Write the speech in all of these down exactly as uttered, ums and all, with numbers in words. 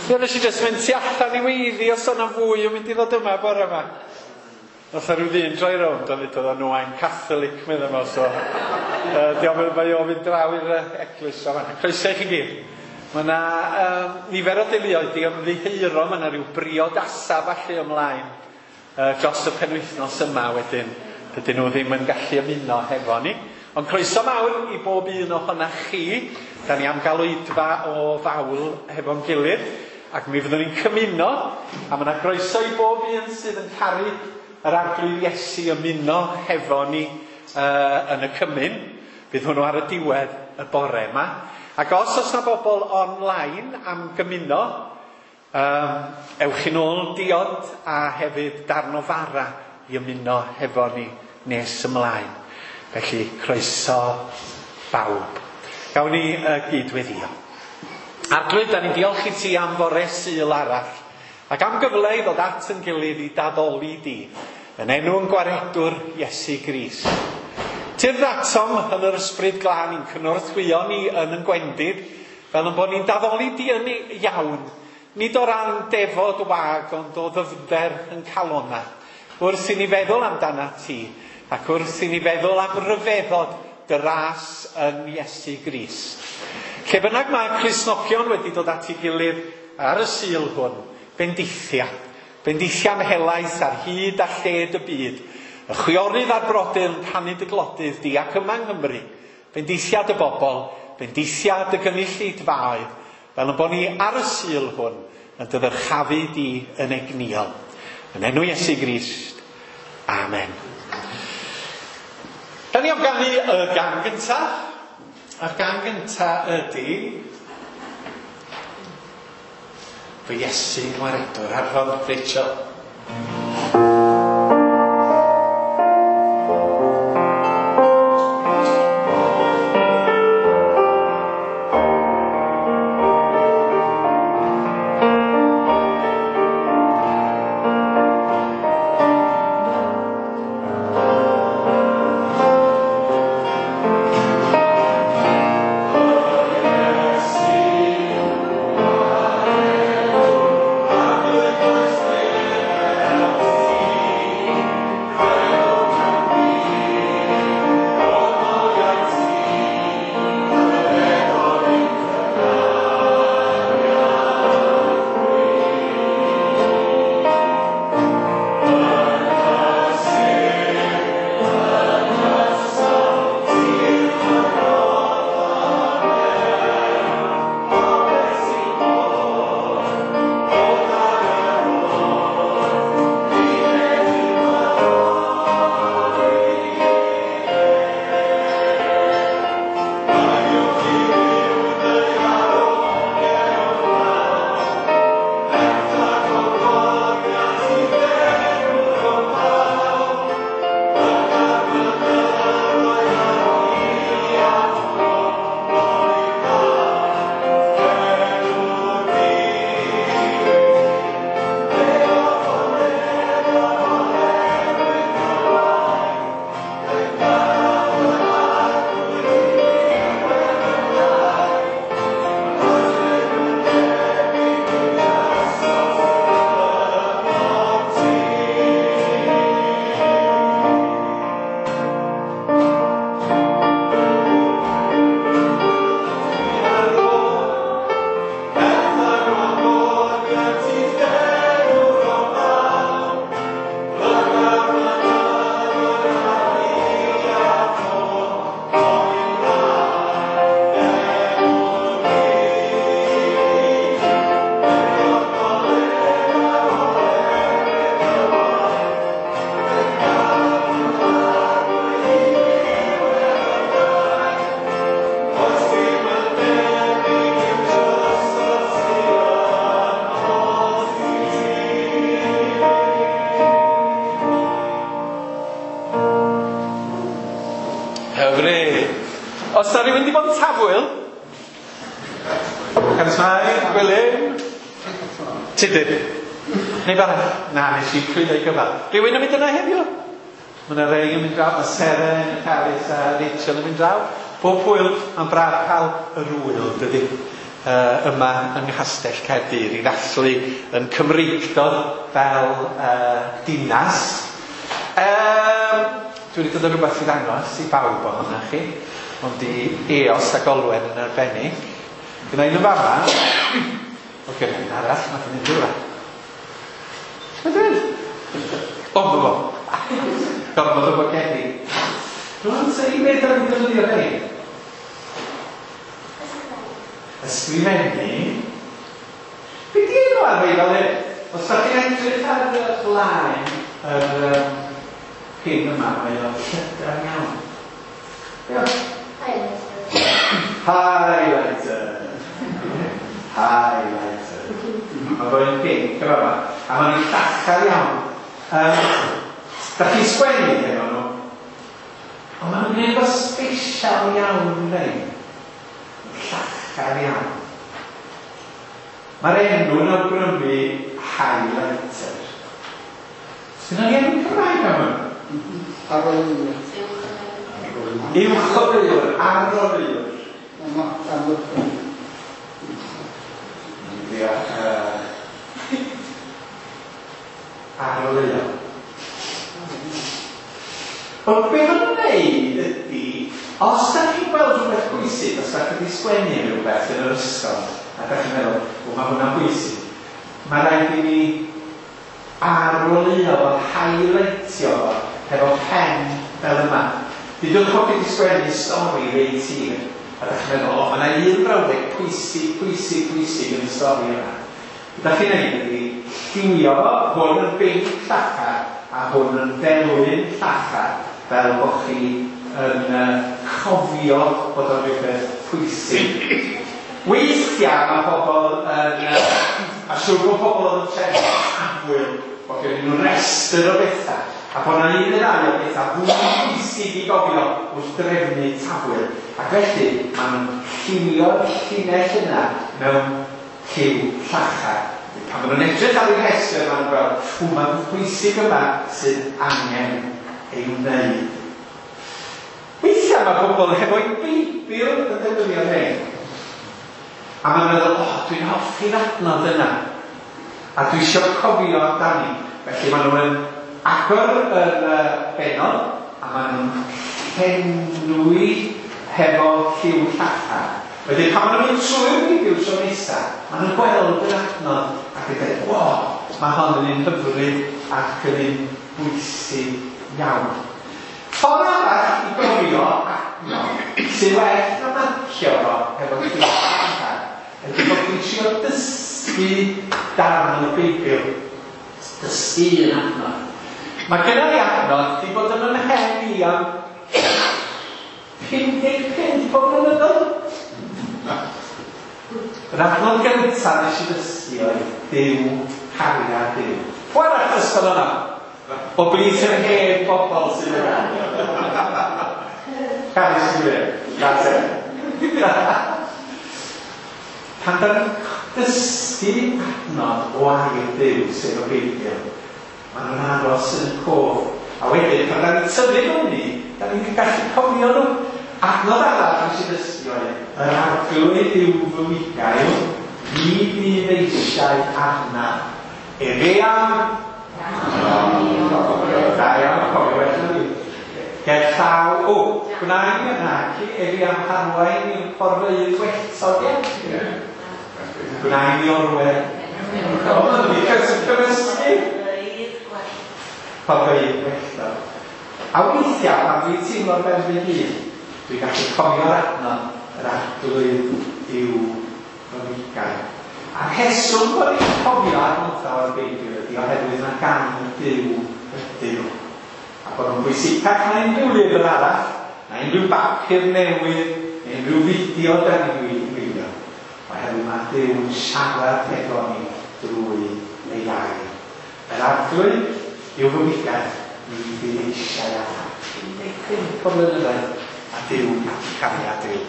Ie, nes i jyst mynd tu allan i weiddi os o'na fwy yn mynd i ddod yma bore yma. Nath o ryw ddyn droi rownd a ddudodd o, "No, I'm Catholic," medda fo, so uh, diolch, mae o fynd draw i'r eglwys o fanna. Croeso i chi gyd. Mae yna um, nifer o deuluoedd di ymddiheuro, mae yna rhyw briodasa falle ymlaen uh, dros y penwythnos yma wedyn. Dydyn nhw ddim yn gallu ymuno hefo ni. Ond croeso mawr i bob un ohonach chi. Da ni am gael oedfa o fawl hefo'n gilydd. Ac mi fyddwn ni'n cymuno, a mae yna groeso i bob un sydd yn caru yr Arglwydd Iesu ymuno hefo ni uh, yn y cymun. Bydd hwnnw ar y diwedd y bore yma. Ac os oes yna bobl online am gymuno, um, ewch i nôl diod a hefyd darn o fara i ymuno hefo ni nes ymlaen. Felly, croeso bawb. Gawn ni uh, gyd-weddïo. Arglwydd, da ni'n diolch i ti am fore Sul arall, ac am gyfle i ddod at yn gilydd i daddoli di, yn enw yn gwaredwr Iesu Grist. Tyrd atom yn yr ysbryd glân i'n cynorthwyo ni yn yn gwendid, fel yn bod ni'n daddoli di yn iawn, nid o ran defod wag, ond o ddyfnder yn calona. Wrth i ni feddwl amdana ti, ac wrth i ni feddwl am ryfeddod dy ras yn Iesu Grist. Lle bynnag mae Cristnogion wedi dod at ei gilydd ar y Sul hwn, bendithia. Bendithia'n helaeth ar hyd a lled y byd. Y chwiorydd a'r brodyr yn rhannu dy glodydd di ac yma yng Nghymru. Bendithia dy bobl, bendithia dy gynulleidfaoedd, fel yn bod ni ar y Sul hwn yn dy ddyrchafu di yn egnïol. Yn enw Iesu Grist. Amen. Da ni am ganu y gan gyntaf. A'r gan gyntaf ydy Fy Iesu Ngwaredwr, Arfon Rachel. Os na rhywun wedi bod yn tafwyl, Caris Mai, Gwilym, Tudur, neu arall? Na, nes i llwyddo i gyfal. Rhywun yn mynd yna heddiw? Mae yna rei yn mynd draw, mae Seren, Caris a Rachel yn mynd draw. Pob hwyl, mae'n braf cael yr wyl, dydy. uh, yma yng Nghastell Caerdydd i ddathlu yn Cymreictod fel uh, dinas. Um, dwi wedi dod â rhywbeth i ddangos i bawb ohonoch chi, ond i Eos ac Olwen yn arbennig. Gyda un yn fama, o gyda un arall, mae'n mynd rhywle. Mae'n mynd? O, ma fo. Gormod o bocedi. Dwi'n sôn i beth ar y defnyddio rhain? Ysgrifennu. Be di enw ar rei fel hyn? Os da chi'n edrych ar y blaen yr um, pin yma, mae o'n llydan iawn. Diolch. Highlighter. Highlighter. Mae fo'n pink yma yma. A maen nhw'n llachar iawn. Um, da chi'n sgwennu efo nhw? Ond maen nhw'n gwneud o special iawn rei. Llachar iawn. Mae'r enw yn awgrymu highlighter. Sgynna ni enw Cymraeg am hwn? Aroleuwr. Uwcholeuwr, aroleuwr. Ia, aroleuwr. Ond be maen nhw'n wneud ydy, os da chi'n gweld rhywbeth bwysig, os da chi wedi sgwennu rhywbeth yn yr ysgol, a da chi'n meddwl, o, mae hwnna'n bwysig, mae rhaid i ni aroleuo fo, highlightio fo, hefo pen fel yma. Dudwch bod chi wedi sgwennu stori reit hir, a da chi'n meddwl, o, mae yna un brawddeg pwysig, pwysig, pwysig yn y stori yma. Be da chi'n neud ydy, lliwio fo, hwn yn binc llachar, a hwn yn felyn llachar, fel bod chi yn uh, cofio bod o'n rhywbeth pwysig. Weithiau mae pobl yn, uh, a siŵr bod pobl yn trefnu tafwyl, bod gen nhw restr o bethau, a bod yna un neu ddau o bethau fwy pwysig i gofio wrth drefnu tafwyl. Ac felly, maen nhw'n lliwio'r llinell yna mewn lliw llachar. Pan maen nhw'n edrych ar eu rhestr, maen nhw'n gweld, ww, mae'n pwysig yma sydd angen ei wneud. Weithiau mae pobl hefo'u Beibl yn defnyddio rhain. A maen nhw'n meddwl, o, oh, dwi'n hoffi'r adnod yna. A dwi eisiau cofio amdani. Felly maen nhw'n agor yr uh, bennod, a maen nhw'n llenwi hefo lliw llachar. Wedyn pan maen nhw'n mynd trwy'r Beibl tro nesaf, maen nhw'n gweld yr adnod ac yn dweud, o, mae hon yn un hyfryd ac yn un bwysig iawn. Ffordd arall i gofio adnod sy'n well na marcio fo hefo lliw llachar ydy bod chi'n trio dysgu darn o'r Beibl. Dysgu un adnod. Mae gynna i adnod di bod yn ymhen i am pum deg pump o blynyddoedd. Yr adnod gyntaf nes i ddysgu oedd Duw, cariad Duw. Pwy arall ddysgodd hwnna? O blith yr hen bobl sydd yna. Caru sydd yna. That's it. Pan da ni'n dysgu adnod o air Duw, sef y Beibl, maen nhw'n aros yn y cof. A wedyn, pan da ni'n tyfu fyny, da ni'n gallu cofio nhw. Adnod arall nes i ddysgu oedd, yr arglwydd yw fy migail, ni fydd eisiau arna. Efe am... Da iawn, cofio well na fi. Ger llaw, o, gwnaen i naci, efe am harwain i'r porfeydd gwelltog, ie? Gwnaen i orwedd. O, ma'n wedi cymysgu. Porfeydd gwelltog. A weithiau, pan dwi'n teimlo'r ben fy hun, dwi'n gallu cofio'r adnod, yr arglwydd yw fy migail. A'r rheswm bod ni'n cofio adnodau o'r Beibl ydy oherwydd na gan Duw ydyn nhw. A bod nhw'n bwysicach na unrhyw lyfr arall, na unrhyw bapur newydd, neu unrhyw fideo da ni'n wylio. Oherwydd mae Duw'n siarad efo ni drwy ei air. Yr arglwydd yw fy migail, ni fydd eisiau arna. un deg pump o blynyddoedd. A Duw, cariad Duw.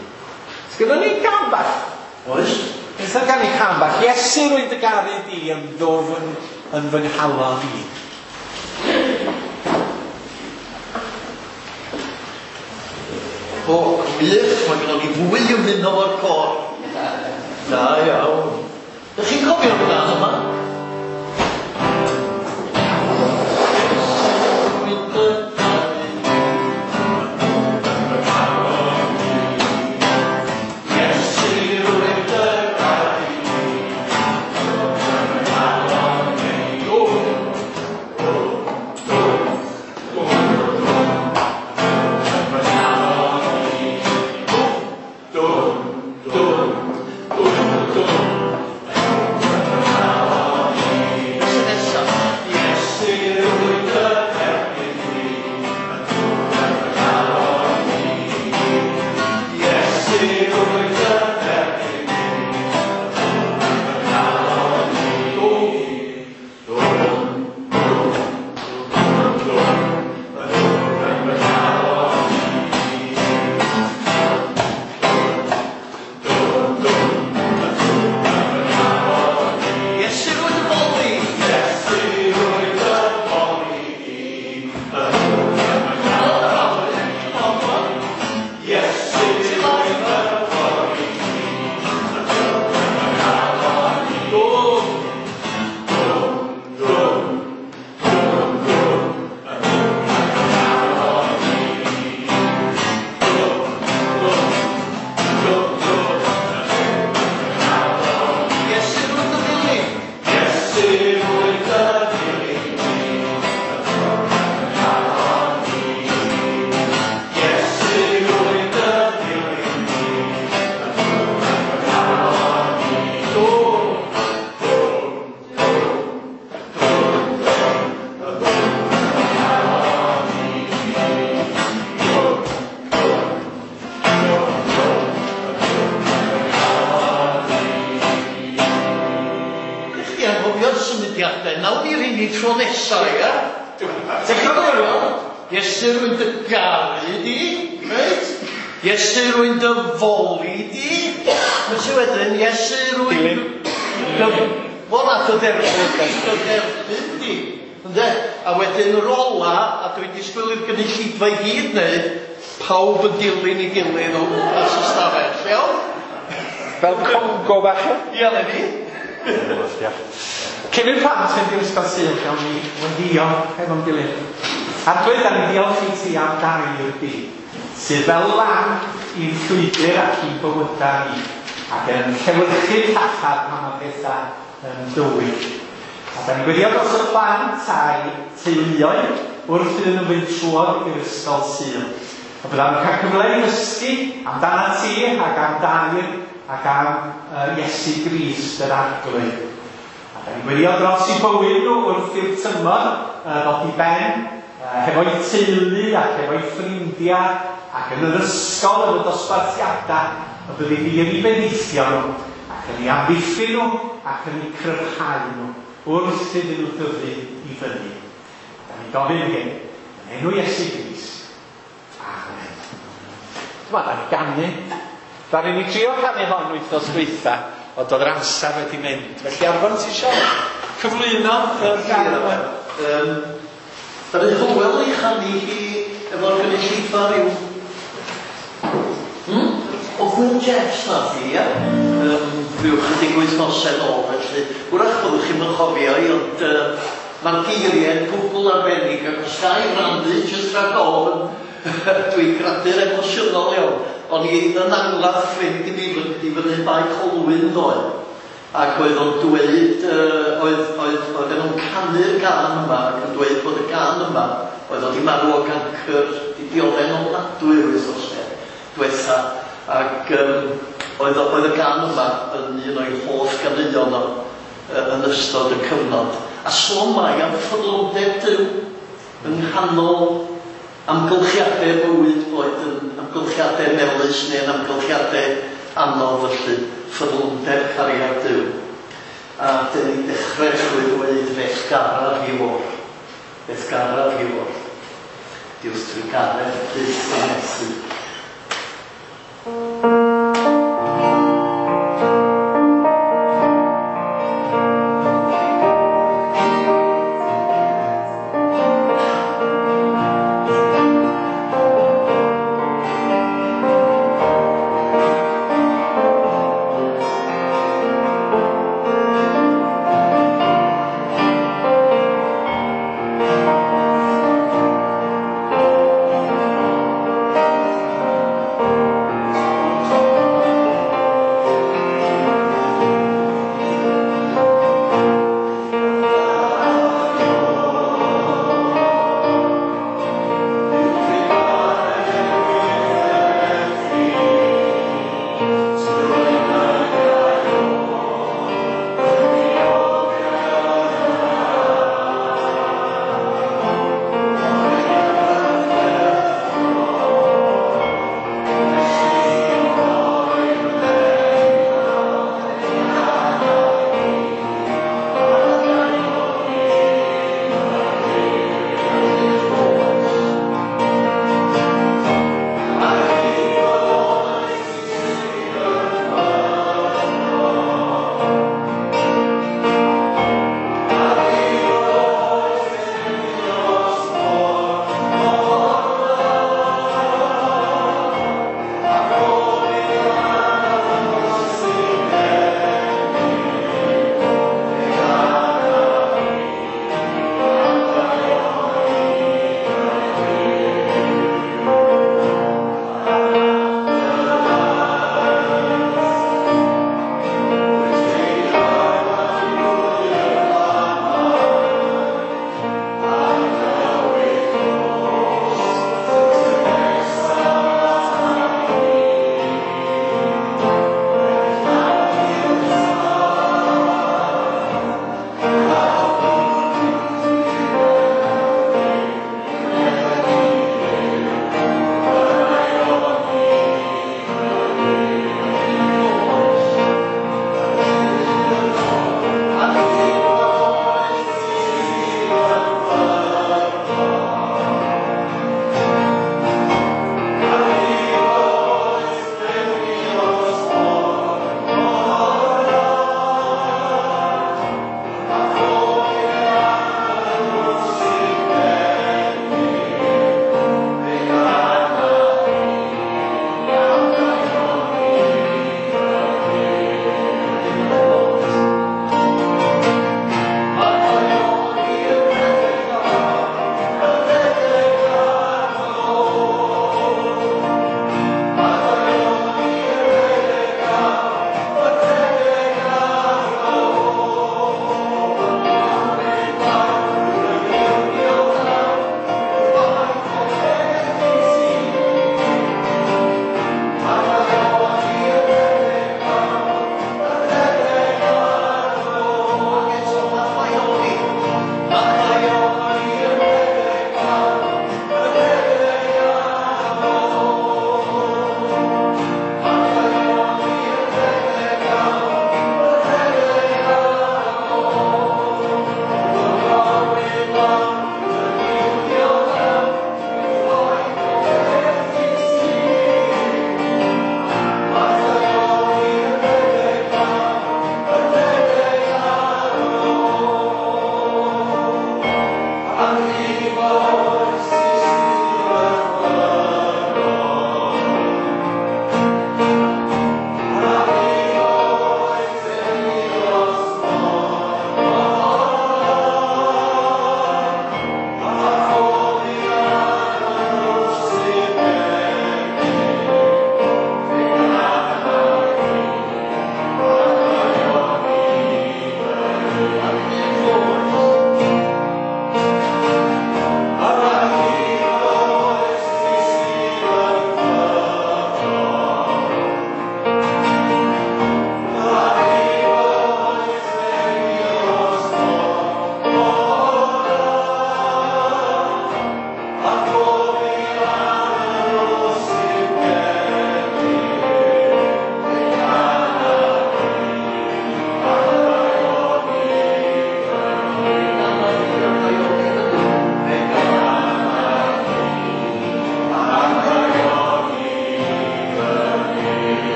Sgynnon ni gân bach? Oes. Beth am ganu cân bach? Iesu, rwy'n dy garu di yn ddwfn yn fy nghalon i. O, gwych, mae gennon ni fwy ymuno o'r côr. Da iawn. Dych chi'n cofio'r gân yma? Fel Congo bach. Ie, le ni. Cyn i'r plant fynd i'r ysgol Sul, gawn ni wenddio hefo'n gilydd. Arglwydd, da ni diolch i ti am gair di, sydd fel lan i'n llwybr ac i'n bywydau ni, ac yn llewyrchu'r llachar pan mae pethau yn dywyll. A da ni'n gweddio dros y plant a'i teuluoedd wrth iddyn nhw fynd trwodd i'r ysgol Sul. A byddan nhw'n cael cyfle i ddysgu amdana ti ac am dair ac am uh, Iesu Grist yr Arglwydd. A da ni'n gweddio dros i bywyd nhw wrth i'r tymor uh, ddod i ben, uh, hefo'u teulu ac hefo'u ffrindiau ac yn yr ysgol yn y dosbarthiadau, y byddi di yn eu bendithio nhw ac yn eu amddiffyn nhw ac yn eu cryfhau nhw wrth iddyn nhw dyfu i fyny. Da ni'n gofyn hyn yn enw Iesu Grist. Amen. Dyma, da ni'n ganu. Ddaru ni trio canu hon wythnos dwytha, ond oedd yr amser wedi mynd. Felly Arfon, ti isio cyflwyno yr gân yma? Um, Ddaru Hywel ei chanu hi efo'r gynulleidfa ryw... Hmm? O Gwyn Jeffs nath hi, ia? Um, ryw chydig wythnosau nôl, felly. Wrach byddwch chi'n chofio i, ond uh, mae'r geiriau'n gwbl arbennig, ac os ga i rannu, jyst rhag ofn, dwi'n gradu'r emosiynol iawn. O'n i yn angladd ffrind i mi i fyny Bae Colwyn ddoe, ac oedd o'n dweud, uh, oedd, oedd, oedd nhw'n canu'r gân yma, ac yn dweud bod y gân yma, oedd o di marw o gancr, di dioddef'n ofnadwy yr wythnosau diwetha, ac um, oedd, oedd y gân yma yn un o'i hoff ganeuon o uh, yn ystod y cyfnod. A sôn mai am ffyddlondeb Duw yng nghanol amgylchiadau bywyd, boed yn amgylchiadau melys neu yn amgylchiadau anodd, felly ffyddlondeb cariad Duw. A dyn ni'n dechrau trwy ddweud fe'th garaf i o'r, fe'th garaf i o'r, diwrth trugaredd byth yn methu. Thank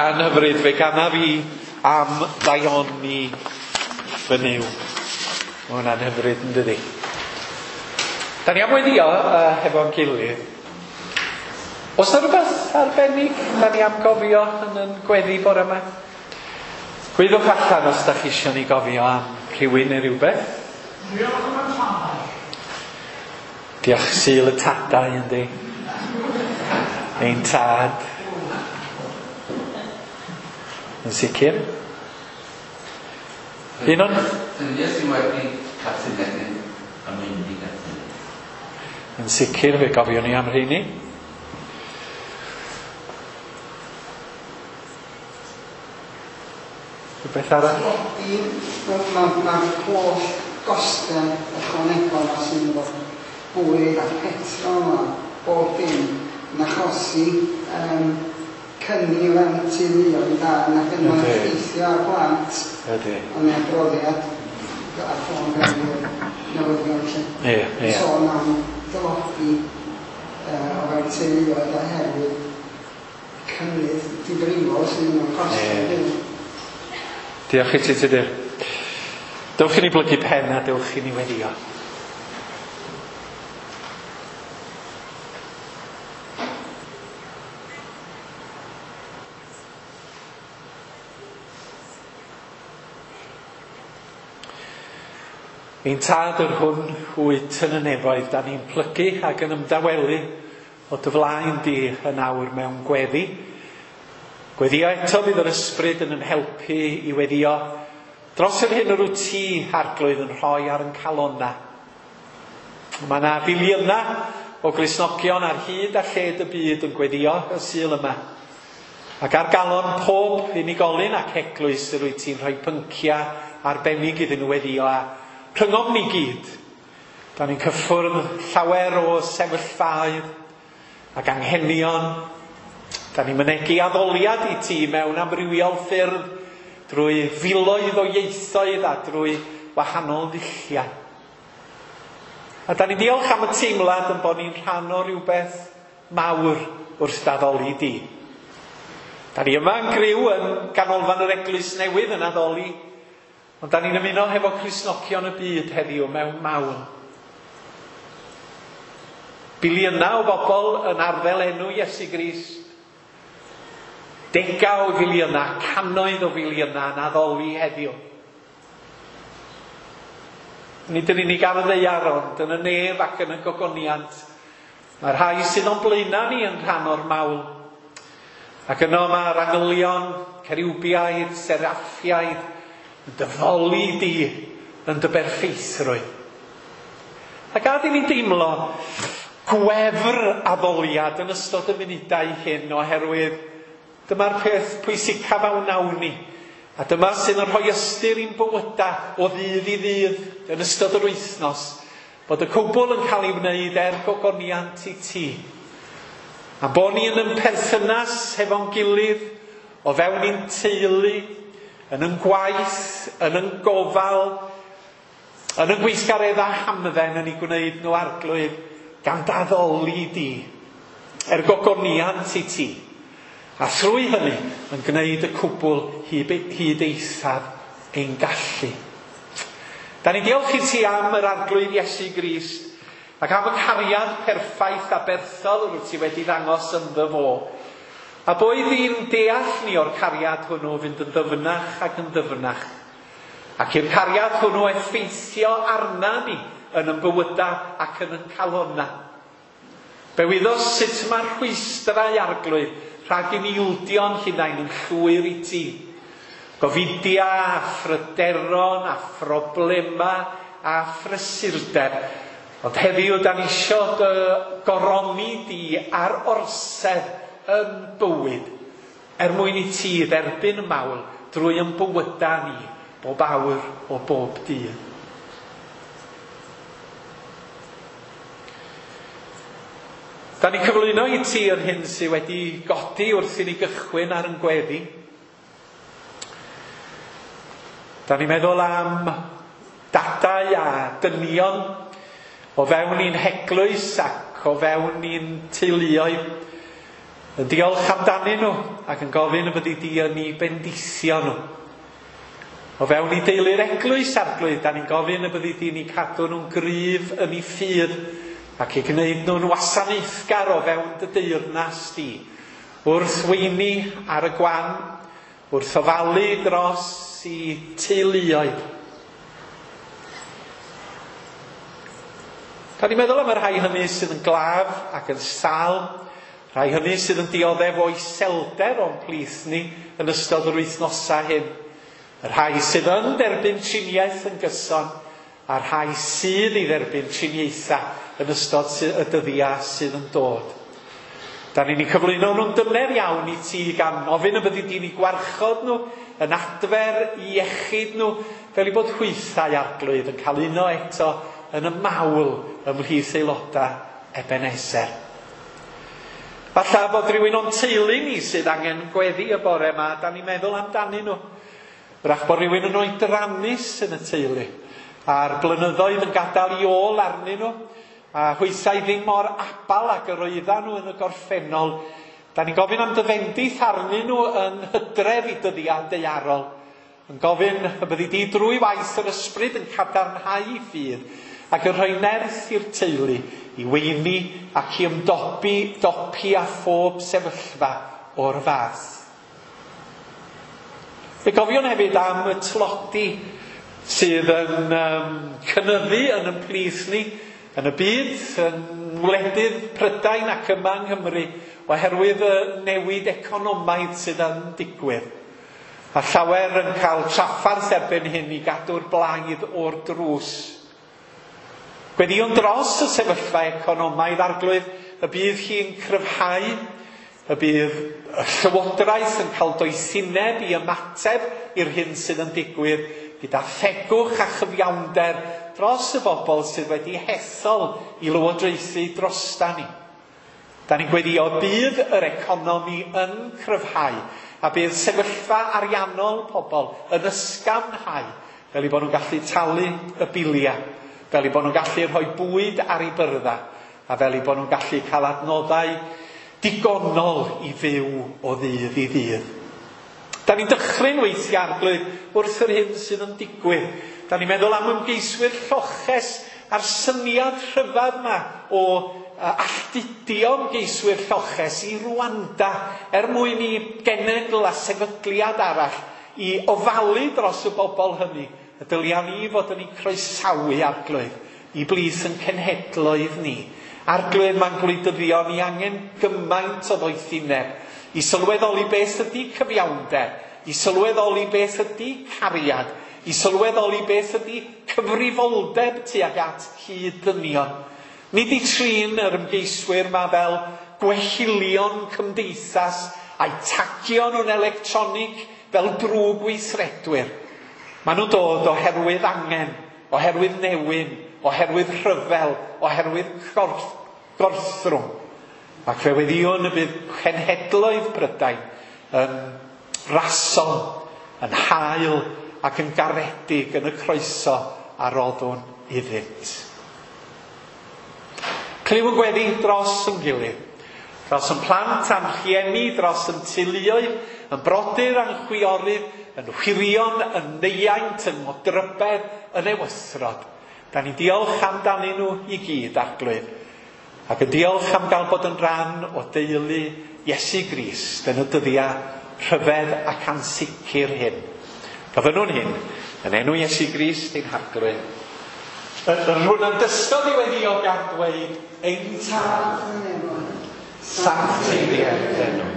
Cân hyfryd, fe ganaf i am ddaioni fy Nuw. Mae hwnna'n hyfryd, yn dydi? Da ni am weddio uh, hefo'n gilydd. Oes 'na rhywbeth arbennig da ni am gofio yn yn gweddi bore yma? Gweddwch allan os da chi eisiau ni gofio am rhywun neu rhywbeth. Diolch am y tadau. Diolch Sul y Tadau, yndi? Ein tad. Yn sicr. Un o'n... Dynion sydd wedi catunegu a mynd i gatunegu. Yn sicr, fe gofion ni am rheini. Rhywbeth arall? Mae'r ma holl gostau ychwanegol ma sy'n efo bwyd a petrol a bob dim yn achosi um, cynni fewn teuluoedd da ac yn Yndi. effeithio ar blant. Ydy. Ond adroddiad ar ffôn gan newyddion lle. Ie, ie. Sôn am dylodi uh, o fewn teuluoedd oherwydd cynnydd difrifol sydd yn costio. Ie. Diolch i ti, Tudur. Dewch i ni blygu pen a dewch i ni weddio. Ein tad yr hwn wyt yn y nefoedd, da ni'n plygu ac yn ymdawelu o dy flaen di yn awr mewn gweddi. Gweddio eto bydd yr ysbryd yn yn helpu i weddio dros yr hyn yr wyt ti, Arglwydd, yn rhoi ar yn calonna. Mae yna filiynau o Gristnogion ar hyd a lled y byd yn gweddio y Sul yma. Ac ar galon pob unigolyn ac eglwys yr wyt ti'n rhoi pynciau arbennig iddyn nhw weddio a rhyngom ni gyd. Da ni'n cyffwrdd llawer o sefyllfaoedd ac anghenion. Da ni'n mynegi addoliad i ti mewn amrywiol ffyrdd drwy filoedd o ieithoedd a drwy wahanol ddulliau. A da ni'n diolch am y teimlad yn bod ni'n rhan o rhywbeth mawr wrth addoli di. Da ni yma yn griw yn ganolfan yr Eglwys Newydd yn addoli, ond da ni'n ymuno hefo Cristnogion y byd heddiw mewn mawl. Biliynau o bobl yn arddel enw Iesu Grist. Degau o filiynau, cannoedd o filiynau yn addoli heddiw. Nid yn unig ar y ddaear, ond yn y nef ac yn y gogoniant. Mae'r rhai sydd o'n blaenau ni yn rhan o'r mawl. Ac yno mae'r angylion, ceriwbiaid, seraffiaid, yn dyfoli di yn dy berffeithrwydd. A gad i ni deimlo gwefr addoliad yn ystod y munudau hyn, oherwydd dyma'r peth pwysicaf a wnawn ni. A dyma sydd yn rhoi ystyr i'n bywydau o ddydd i ddydd yn ystod yr wythnos, bod y cwbl yn cael ei wneud er gogoniant i ti. A bod ni yn ymperthynas hefo'n gilydd, o fewn i'n teulu, yn yn gwaith, yn yn gofal, yn yn gweithgareddau hamdden yn ei gwneud nhw Arglwydd, gan daddoli di, er gogoniant i ti. A thrwy hynny, yn gwneud y cwbl hyd eithaf ein gallu. Da ni'n diolch i ti am yr Arglwydd Iesu Grist, ac am y cariad perffaith a berthol yr wyt ti wedi ddangos ynddo fo. A boed i'n deall ni o'r cariad hwnnw fynd yn ddyfnach ac yn ddyfnach. Ac i'r cariad hwnnw effeithio arna ni yn yn bywydau ac yn yn calonna. Fe wyddos sut mae'r rhwystrau Arglwydd rhag i ni ildio'n hunain yn llwyr i ti. Gofidia a phryderon a phroblema a phrysurdeb. Ond heddiw da ni isio dy goroni di ar orsedd yn bywyd, er mwyn i ti dderbyn y mawl drwy yn bywydau ni bob awr o bob dydd. Da ni'n cyflwyno i ti yr hyn sydd wedi godi wrth i ni gychwyn ar yn gweddi. Da ni'n meddwl am dadau a dynion o fewn i'n heglwys ac o fewn i'n teuluoedd Yn diolch amdanyn nhw ac yn gofyn y byddi di yn eu bendithio nhw. O fewn i deulu'r eglwys, Arglwydd, da ni'n gofyn y byddi di'n eu cadw nhw'n gryf yn eu ffydd ac i gwneud nhw'n wasanaethgar o fewn dy deyrnas di. Wrth weini ar y gwan, wrth ofalu dros i teuluoedd. Da ni'n meddwl am y rhai hynny sydd yn glaf ac yn sâl, rhai hynny sydd yn dioddef o iselder o'n plith ni yn ystod yr wythnosau hyn. Y rhai sydd yn derbyn triniaeth yn gyson, a'r rhai sydd i dderbyn triniaethau yn ystod y dyddiau sydd yn dod. Da ni'n eu cyflwyno nhw'n dyner iawn i ti gan ofyn y byddi di'n eu gwarchod nhw, yn adfer iechyd nhw, fel i bod hwythau, Arglwydd, yn cael uno eto yn y mawl ymhlith aelodau Ebenezer. Falle bod rhywun o'n teulu ni sydd angen gweddi y bore yma, da ni'n meddwl amdanyn nhw. Wrach bod rhywun yn oedrannus yn y teulu, a'r blynyddoedd yn gadael i ôl arnyn nhw, a hwythau ddim mor abal ag yr oeddan nhw yn y gorffennol. Da ni'n gofyn am dy fendith arnyn nhw yn hydref i dyddiau daearol. Yn gofyn y byddi di drwy waith yr ysbryd yn cadarnhau i ffydd ac yn rhoi nerth i'r teulu i weini ac i ymdopi dopi â phob sefyllfa o'r fath. Fe gofiwn hefyd am y tlodi sydd yn um, cynyddu yn ein plith ni, yn y byd, yn wledydd Prydain ac yma yng Nghymru, oherwydd y newid economaidd sydd yn digwydd. A llawer yn cael traffarth erbyn hyn i gadw'r blaidd o'r drws. Gweddïwn dros y sefyllfa economaidd, Arglwydd, y bydd hi'n cryfhau, y bydd y llywodraeth yn cael doethineb i ymateb i'r hyn sydd yn digwydd gyda thegwch a chyfiawnder dros y bobl sydd wedi hethol i lywodraethu drosta ni. Da ni'n gweddïo bydd yr economi yn cryfhau a bydd sefyllfa ariannol pobl yn ysgafnhau fel eu bod nhw'n gallu talu y biliau, fel eu bod nhw'n gallu rhoi bwyd ar eu byrddau a fel eu bod nhw'n gallu cael adnoddau digonol i fyw o ddydd i ddydd. Da ni'n dychryn weithiau, Arglwydd, wrth yr hyn sydd yn digwydd. Da ni'n meddwl am ymgeiswyr lloches a'r syniad rhyfedd yma o alltudio ymgeiswyr lloches i Rwanda er mwyn i genedl a sefydliad arall i ofalu dros y bobl hynny. Y dylia ni fod yn eu croesawu, Arglwydd, i blith yn cenhedloedd ni. Arglwydd, mae'n gwleidyddion ni angen gymaint o ddoethineb i sylweddoli beth ydy cyfiawnder, i sylweddoli beth ydy cariad, i sylweddoli beth ydy cyfrifoldeb tuag at hyd dynion. Nid i trin yr ymgeiswyr ma fel gwehilion cymdeithas a'i tagio nhw'n electronig fel drwg weithredwyr. Maen nhw'n dod oherwydd angen, oherwydd newyn, oherwydd rhyfel, oherwydd gorff, gorthrwm. Ac fe weddïwn y bydd cenhedloedd Prydain yn rasol, yn hael ac yn garedig yn y croeso a roddwn iddynt. Clyw yn gweddi dros yn gilydd, dros yn plant a'n rhieni, dros yn teuluoedd, yn brodyr a'n chwiorydd, yn wirion, yn neiaint, yn modrybedd, yn ewythrod. Da ni'n diolch amdanyn nhw i gyd, Arglwydd. Ac yn diolch am gael bod yn rhan o deulu Iesu Grist yn y dyddiau rhyfedd ac ansicr hyn. Gofynnwn hyn yn enw Iesu Grist ein Harglwydd. Yr hwn yn dysgodd i weddio gan ddweud, ein Tad, sancteiddier d'enw.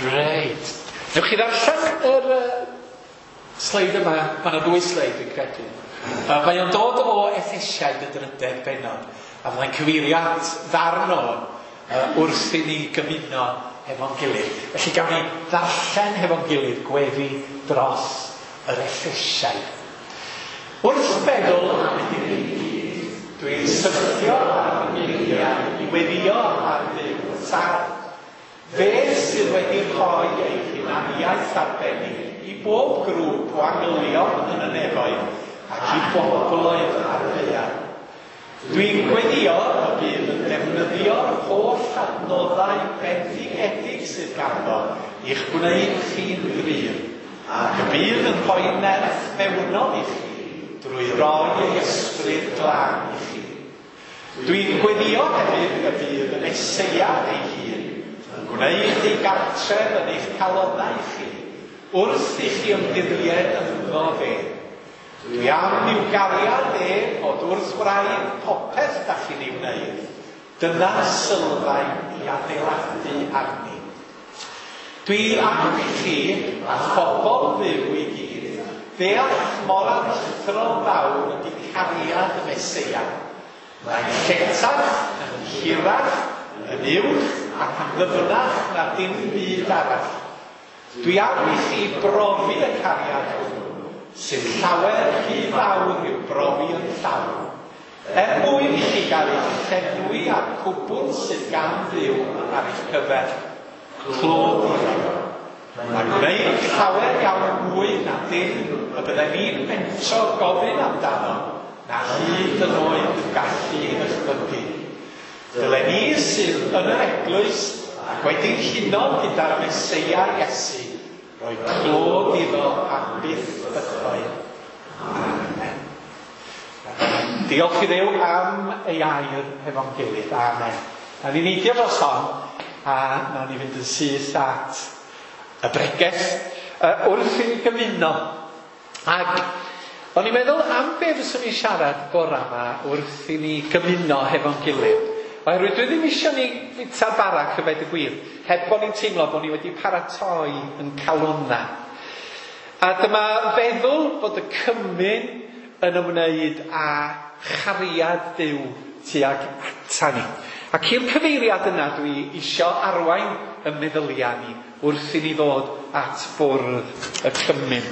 Reit. Newch chi ddarllen yr uh, Sleid yma, mae yna ddwy sleid dwi'n credu. Uh, mae o'n dod o Effesiaid y drydedd bennod, a fyddai'n cyfeirio at ddarn o uh, wrth i ni gymuno hefo'n gilydd. Felly gawn ni ddarllen hefo'n gilydd gweddi dros yr Effesiaid. Wrth feddwl am y digwyddiad, dwi'n syrthio ar fy ngeiriau i weddïo ar Dduw Tad. Fe sydd wedi rhoi ei hunaniaeth arbennig i bob grŵp o angylion yn y nefoedd ac i bobloedd ar ddaear. Dwi'n gweddio y bydd yn defnyddio'r holl adnoddau bendigedig sydd ganddo i'ch gwneud chi'n gryf, ac y bydd yn rhoi nerth mewnol i chi drwy roi ei ysbryd glân i chi. Dwi'n gweddio hefyd y bydd y Meseia ei hun yn gwneud ei gartref yn eich calonnau chi wrth i chi ymddiried ynddo fe. Dwi am i'w gariad e fod wrth wraidd popeth da chi'n ei wneud. Dyna sylfaen i adeiladu arni. Dwi am i chi a phobl Dduw i gyd ddeall mor aruthrol fawr ydy cariad y Meseia. Mae'n lletach, yn hirach, yn uwch ac yn ddyfnach na dim byd arall. Dwi am i chi brofi y cariad hwnnw, sy'n llawer rhy fawr i'w brofi yn llawn, er mwyn i chi gael eich llenwi â'r cwbl sydd gan Dduw ar eich cyfer. Clod i Dduw. Mae'n gwneud llawer iawn mwy na dim y byddem ni'n mentro gofyn amdano, na hyd yn oed yn gallu ei ddychmygu. Dylen ni sydd yn yr eglwys ac wedi'n huno gyda'r Meseia Iesu, roi clod iddo am byth bythoedd. Amen. Diolch i Dduw am ei air hefo'n gilydd. Amen. Na ni neidio dros hon, a nawn ni fynd yn syth at y bregeth uh, wrth i ni gymuno. Ac o'n i'n meddwl am be fyswn i'n siarad bora yma wrth i ni gymuno hefo'n gilydd. Oherwydd dwi ddim eisiau ni fwyta bara cyfed y gwir, heb bod ni'n teimlo bod ni wedi paratoi yn calonna. A dyma feddwl bod y cymun yn ymwneud â chariad Duw tuag ata ni. Ac i'r cyfeiriad yna dwi isio arwain y meddyliau ni wrth i ni ddod at bwrdd y cymun.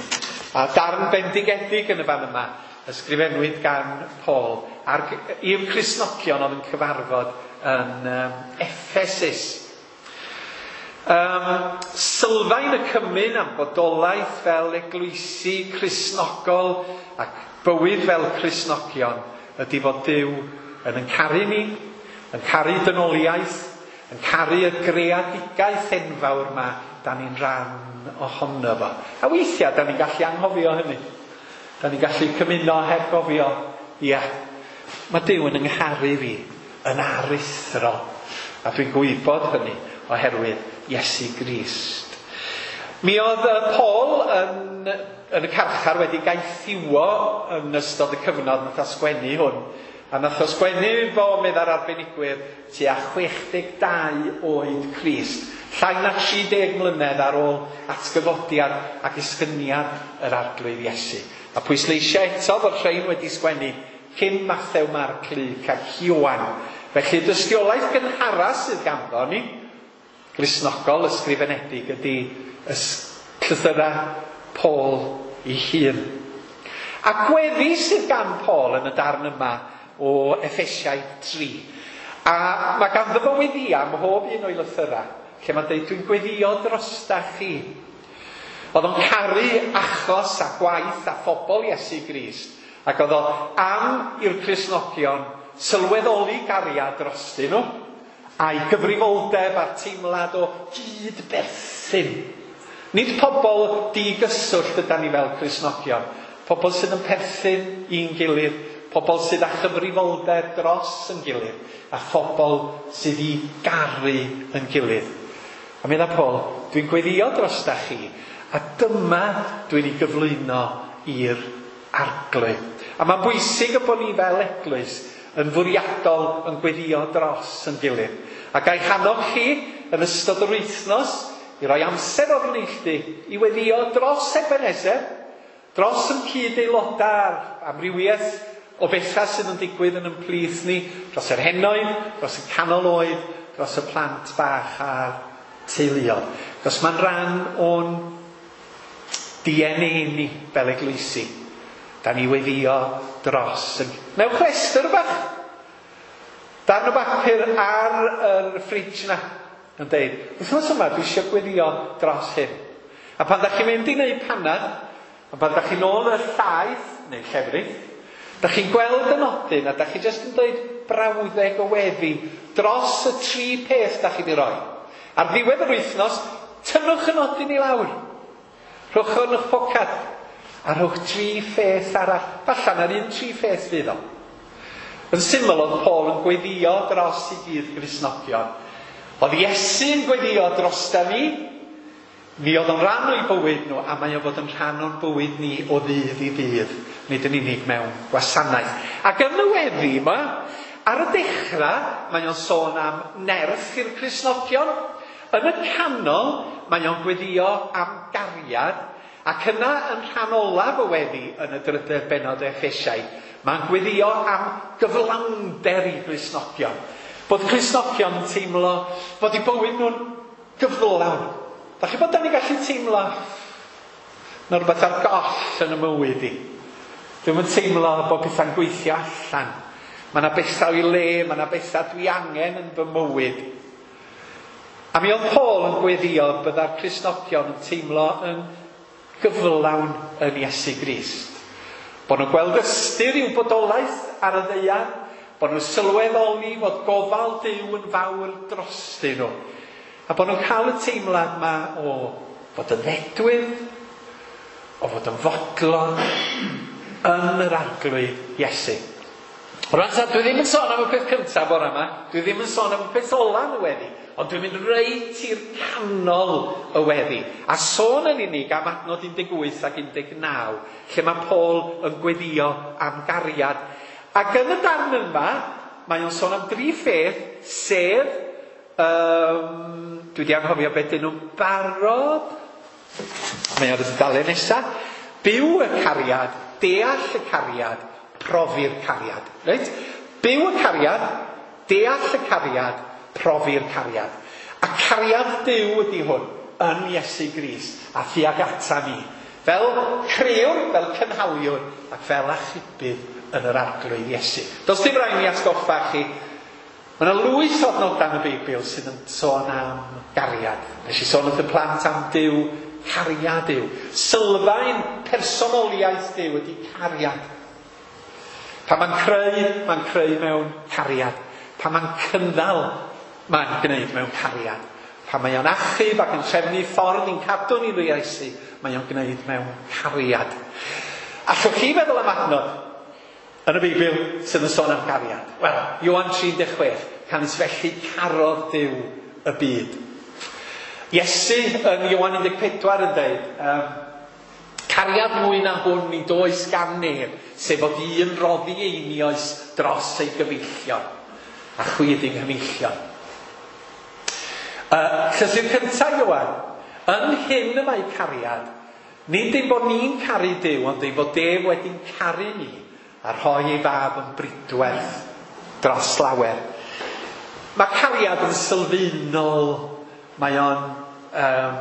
A darn bendigedig yn y fan yma, ysgrifennwyd gan Paul ar, i'r Cristnogion oedd yn cyfarfod yn um, Ephesus. Um, sylfaen y cymun am bodolaeth fel eglwysi Cristnogol ac bywyd fel Cristnogion ydy fod Duw yn yn caru ni, yn caru dynoliaeth, yn caru y greadigaeth enfawr yma da ni'n rhan ohono fo. A weithiau da ni'n gallu anghofio hynny. Da ni'n gallu cymuno heb gofio. Ia, mae Duw yn yngharu fi yn aruthrol. A dwi'n gwybod hynny oherwydd Iesu Grist. Mi oedd Paul yn, yn y carchar wedi gaethiwo yn ystod y cyfnod nath o sgwennu hwn. A nath o sgwennu fo, medda'r arbenigwyr, tua chwech deg dau oed Crist. Llai na tri deg mlynedd ar ôl atgyfodiad ac esgyniad yr Arglwydd Iesu. A pwysleisio eto fod rhain wedi sgwennu cyn Mathew, Marc, Luc ac Ioan. Felly dystiolaeth gynhara sydd ganddo ni, Gristnogol ysgrifenedig, ydy llythyra Paul ei hun. A gweddi sydd gan Paul yn y darn yma o Effesiaid tri. A mae ganddo fo weddïa ym mhob un o'i lythyra, lle mae'n dweud, dwi'n gweddio drosta chi. Oedd o'n caru achos a gwaith a phobl Iesu Grist, ac oedd o am i'r Cristnogion sylweddoli gariad drostyn nhw, a'i gyfrifoldeb a'r teimlad o gydberthyn. Nid pobl digyswllt ydan ni fel Cristnogion, pobl sydd yn perthyn i'n gilydd, pobl sydd â chyfrifoldeb dros yn gilydd, a phobl sydd i garu yn gilydd. A medda Paul, dwi'n gweddio drosta chi, a dyma dwi'n ei gyflwyno i'r Arglwydd. A mae'n bwysig y bod ni fel eglwys yn fwriadol yn gweddio dros yn gilydd. A ga i hannog chi yn ystod yr wythnos i roi amser o'r neilltu i weddio dros Ebenezer, Dros yn cyd-aelodau a'r amrywiaeth o bethau sydd yn digwydd yn ein plith ni, dros yr henoed, dros y canol oed, dros y plant bach a'r teuluoedd. Cos mae'n rhan o'n D N A ni fel eglwysi. Da ni weddio dros. Newch restr bach. Darn o bapur ar yr ffridge na yn deud, wythnos yma dwi eisiau gweddio dros hyn. A pan da chi'n mynd i wneud panad, a pan da chi'n ôl y llaeth, neu llefrith, da chi'n gweld y nodyn a da chi jyst yn dweud brawddeg o weddi dros y tri peth da chi di roi. Ar ddiwedd yr wythnos, tynnwch y nodyn i lawr. Rhowch o yn eich pocad. A rhowch tri pheth arall. Falla na'r un tri pheth fydd o. Yn syml oedd Paul yn gweddio dros i gyd Gristnogion. Oedd Iesu'n gweddio drosta ni. Mi oedd o'n rhan o'i bywyd nhw, a mae o'n fod yn rhan o'n bywyd ni o ddydd i ddydd, nid yn unig mewn gwasanaeth. Ac yn y weddi yma, ar y dechrau, mae o'n sôn am nerth i'r Cristnogion. Yn y canol, mae o'n gweddio am gariad, ac yna yn rhan olaf y weddi yn y drydedd bennod o Effesiaid, mae'n gweddio am gyflawnder i Gristnogion. Bod Cristnogion yn teimlo bod eu bywyd nhw'n gyflawn. Da chi bod da ni gallu teimlo na rhywbeth ar goll yn y mywyd i. Dwi'm yn teimlo bod pethau'n gweithio allan. Mae yna bethau i le, mae yna bethau dwi angen yn fy mywyd. A mi oedd Paul yn gweddio bydda'r Cristnogion yn teimlo yn gyflawn yn Iesu Grist. Bod nhw'n gweld ystyr i'w bodolaeth ar y ddaear, bod nhw'n sylweddoli fod gofal Duw yn fawr drostyn nhw. A bod nhw'n cael y teimlad yma o fod yn ddedwydd, o fod yn fodlon yn yr Arglwydd Iesu. Rwan ta, dwi ddim yn sôn am y peth cyntaf bore yma, dwi ddim yn sôn am y peth ola yn y weddi, ond dwi'n mynd reit i'r canol y weddi. A sôn yn unig am adnod un deg wyth ac un deg naw, lle mae Paul yn gweddio am gariad. Ac yn y darn yma, mae o'n sôn am dri pheth, sef, um, dwi wedi anghofio beth dyn nhw'n barod, mae ar y dudalen nesaf, byw y cariad, deall y cariad, profi'r cariad. Reit? Byw y cariad, deall y cariad, profi'r cariad. A cariad Duw ydy hwn yn Iesu Grist a thuag ata ni. Fel crëwr, fel cynhaliwr ac fel achubydd yn yr Arglwydd Iesu. Does dim rhaid ni atgoffa chi. Mae yna lwyth o adnodau yn y Beibl sydd yn sôn am gariad. Nes i sôn wrth y plant am Duw, cariad Duw. Sylfaen personoliaeth Duw ydy cariad. Pan mae'n creu, mae'n creu mewn cariad. Pan mae'n cynnal, mae'n gwneud mewn cariad. Pan mae o'n achub ac yn trefnu ffordd i'n cadw ni drwy Iesu, mae o'n gwneud mewn cariad. Allwch chi feddwl am adnod yn y Beibl sydd yn sôn am gariad? Wel, Ioan tri deg chwech, canys felly carodd Duw y byd. Iesu yn Ioan un deg pedwar yn dweud, um, cariad mwy na hwn nid oes gan neb, sef fod un roddi einioes dros ei gyfeillion, a chwi ydy'n nghyfeillion. Uh, llythyr cyntaf Ioan, yn hyn y mae cariad, nid ein bod ni'n caru Duw, ond ein bod ef wedi'n caru ni, a rhoi ei fab yn bridwerth dros lawer. Mae cariad yn sylfaenol, mae o'n um,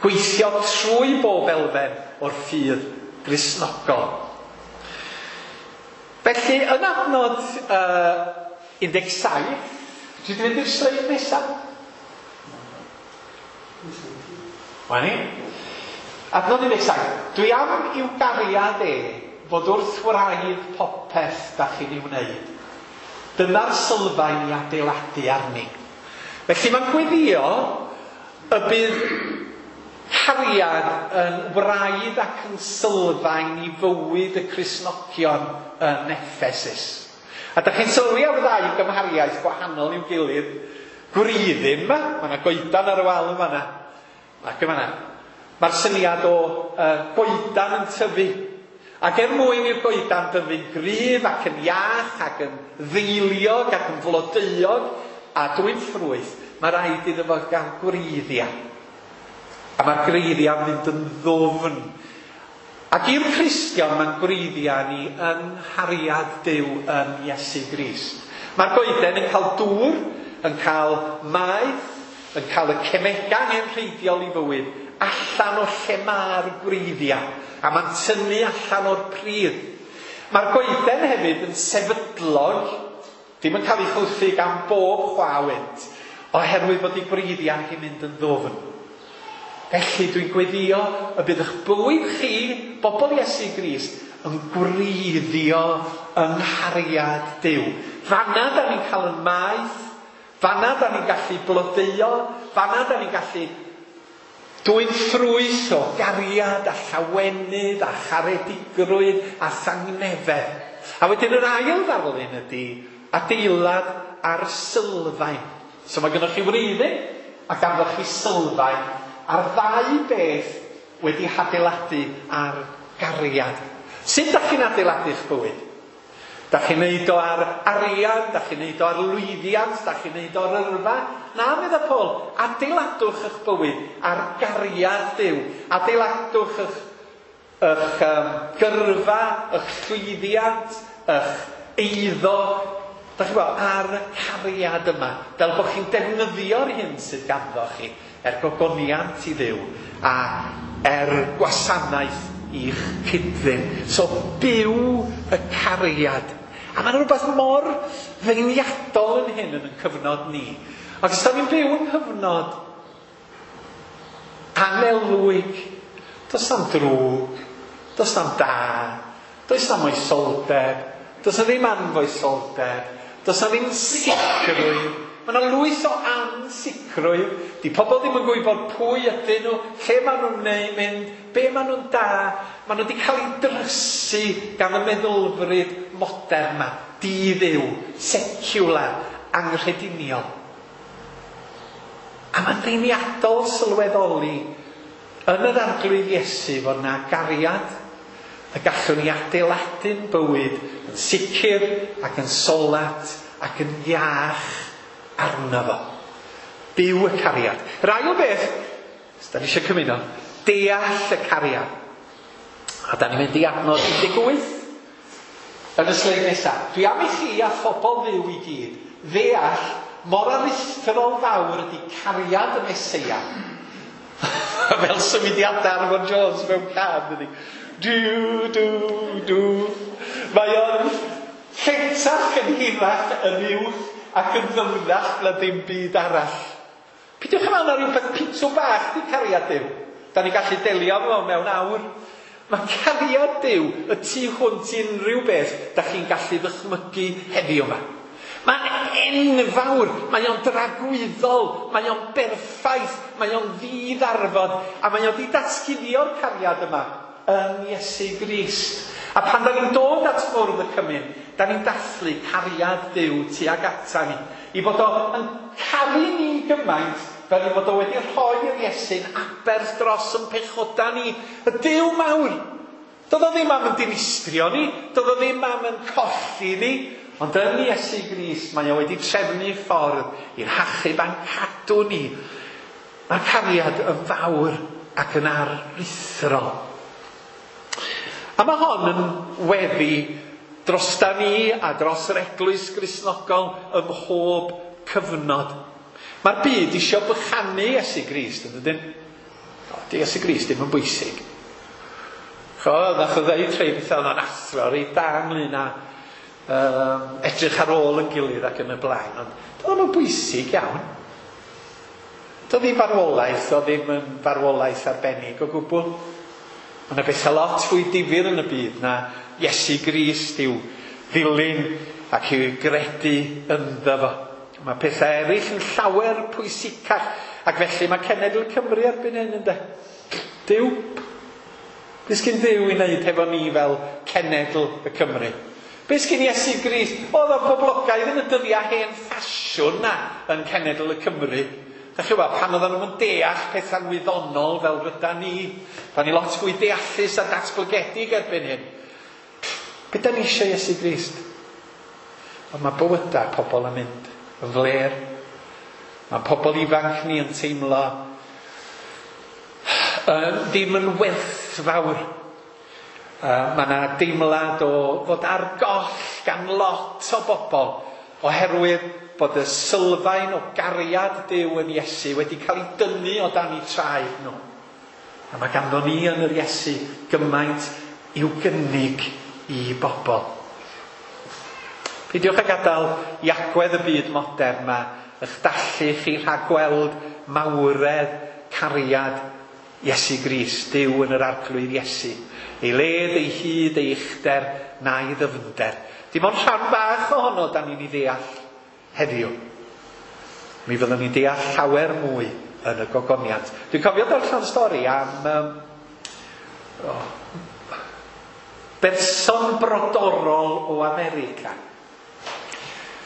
gweithio trwy bob elfen o'r ffydd Gristnogol. Felly, yn adnod uh, un deg saith, dwi wedi mynd i'r sleid nesaf? Wa ni. Adnod un deg saith. Dwi am i'w gariad e fod wrth wraidd popeth da chi'n ei wneud. Dyna'r sylfaen i adeiladu arni. Felly mae'n gweddio y bydd cariad yn wraidd ac yn sylfaen i fywyd y Cristnogion yn Effesus. A da chi'n sylwi ar ddau gymhariaeth gwahanol i'w gilydd. Gwreiddyn yma, mae yna goedan ar y wal yma yna. Ac yma yna. Mae'r syniad o uh, goedan yn tyfu. Ac er mwyn i'r goedan dyfu'n gryf ac yn iach ac yn ddeiliog ac yn flodeuog a dwyn ffrwyth, mae rhaid iddo fo gael gwreiddiau. A mae'r gwreiddiau'n mynd yn ddwfn. Ac i'r Cristion mae'n gwreiddiau ni yng nghariad Duw yn Iesu Grist. Mae'r goeden yn cael dŵr, yn cael maeth, yn cael y cemegau angenrheidiol i fywyd, allan o lle mae'r gwreiddiau, a mae'n tynnu allan o'r pridd. Mae'r goeden hefyd yn sefydlog, ddim yn cael ei chwythu gan bob chwa wynt, oherwydd bod ei gwreiddiau hi'n mynd yn ddwfn. Felly dwi'n gweddio y bydd eich bywyd chi, bobl Iesu Grist, yn gwreiddio yng nghariad Duw. Fanna da ni'n cael yn maeth, fanna da ni'n gallu blodeuo, fanna da ni'n gallu dwyn ffrwyth o gariad a llawenydd a charedigrwydd a thangnefedd. A wedyn yr ail ddarlun ydy adeilad ar sylfaen. So mae gennych chi wreiddyn a ganddoch chi sylfaen a'r ddau beth wedi hadeiladu ar gariad. Sut dach chi'n adeiladu'ch bywyd? Dach chi'n neud o ar arian, dach chi'n neud o ar lwyddiant, dach chi'n neud o ar yrfa? Na, medda Paul, adeiladwch eich bywyd ar gariad Duw. Adeiladwch eich, eich um, gyrfa, eich llwyddiant, eich eiddo, dach chi'n gwybod, ar y cariad yma, fel bod chi'n defnyddio'r hyn sydd ganddo chi, er gogoniant i Dduw a er gwasanaeth i'ch cyd-ddyn. So, byw y cariad. A mae'n rhywbeth mor feirniadol yn hyn yn y cyfnod ni. Ac os da ni'n byw yng nghyfnod anelwig, does na'm drwg, does na'm da, does na'm moesoldeb, does na ddim anfoesoldeb, does na ddim sicrwydd. Mae yna lwyth o ansicrwydd. Di pobl ddim yn gwybod pwy ydyn nhw, lle maen nhw'n mynd, be maen nhw'n da. Maen nhw wedi cael eu drysu gan y meddylfryd modern yma, di-dduw, secular, anghrediniol. A mae'n ddeiniadol sylweddoli yn yr Arglwydd Iesu fod yna gariad y gallwn ni adeiladu'n bywyd yn sicr ac yn solat ac yn iach arno fo. Byw y cariad. Yr ail beth, os da ni eisiau cymuno, deall y cariad. A da ni'n mynd i adnod un deg wyth yn y sleid nesaf. Dwi am i chi a phobl Dduw i gyd ddeall mor aruthrol fawr ydy cariad y Meseia. Fel symudiadau Arfon Jones mewn can, dydy. Dw, dw, dw. Mae o'n lletach yn hirach yn uwch ac yn ddyfnach na dim byd arall. Peidiwch yn meddwl na rhywbeth pitw bach di cariad Duw. Da ni'n gallu delio efo mewn awr. Mae cariad Duw y tu hwnt i unrhyw beth da chi'n gallu ddychmygu heddiw yma. Mae'n enfawr, mae o'n dragwyddol, mae o'n berffaith, mae o'n ddiddarfod, a mae o'n di datguddio'r cariad yma yn Iesu Grist. A pan da ni'n dod at fwrdd y cymun, da ni'n dathlu cariad Duw tuag ata ni. I fod o yn caru ni gymaint fel i fod o wedi rhoi'r Iesu'n aberth dros yn pechoda ni. Y Duw mawr. Doedd o ddim am yn dinistrio ni, doedd o ddim am yn colli ni, ond yn Iesu Grist mae o wedi trefnu ffordd i'n hachub a'n cadw ni. Mae'r cariad yn fawr ac yn aruthrol. A mae hon yn weddi drosta ni a dros yr Eglwys Gristnogol ym mhob cyfnod. Mae'r byd isio bychanu Iesu Grist, yn dydyn? O, di Iesu Grist ddim yn bwysig. Cho, nath o ddeud rhai bethau oedd o'n athro reit da ynglyn â um, edrych ar ôl yn gilydd ac yn y blaen, ond doedd o'n bwysig iawn. Doedd ddim farwolaeth, oedd ddim yn farwolaeth arbennig o gwbl. Mae yna bethau lot fwy difyr yn y byd na Iesu Grist i'w ddilyn ac i'w gredu ynddo fo. Mae pethau eraill yn llawer pwysicach, ac felly mae cenedl Cymru erbyn hyn, ynde? Duw. Be sgyn Duw i wneud hefo ni fel cenedl y Cymru? Be sgyn Iesu Grist? Oedd o'n boblogaidd yn y dyddiau hen ffasiwn na yn cenedl y Cymru. Dach chi'n gwybod, pan oedden nhw'n deall pethau'n wyddonol fel ryda ni, da ni lot fwy deallus a datblygedig erbyn hyn. Be da ni eisiau Iesu Grist? Ond mae bywydau pobl yn mynd yn fler. Mae pobl ifanc ni yn teimlo uh, ddim yn werthfawr. Uh, mae yna deimlad o fod ar goll gan lot o bobl oherwydd bod y sylfaen o gariad Duw yn Iesu wedi cael ei dynnu o dan eu traed nhw. A mae ganddo ni yn yr Iesu gymaint i'w gynnig i bobl. Peidiwch â gadael i agwedd y byd modern yma eich dallu chi rhag gweld mawredd cariad Iesu Grist, Duw yn yr Arglwydd Iesu. Ei led, ei hyd, ei uchder, na'i ddyfnder. Dim ond rhan bach ohono da ni'n ei ddeall heddiw. Mi fyddwn ni'n deall llawer mwy yn y gogoniant. Dwi'n cofio darllen stori am um, oh, berson brodorol o America.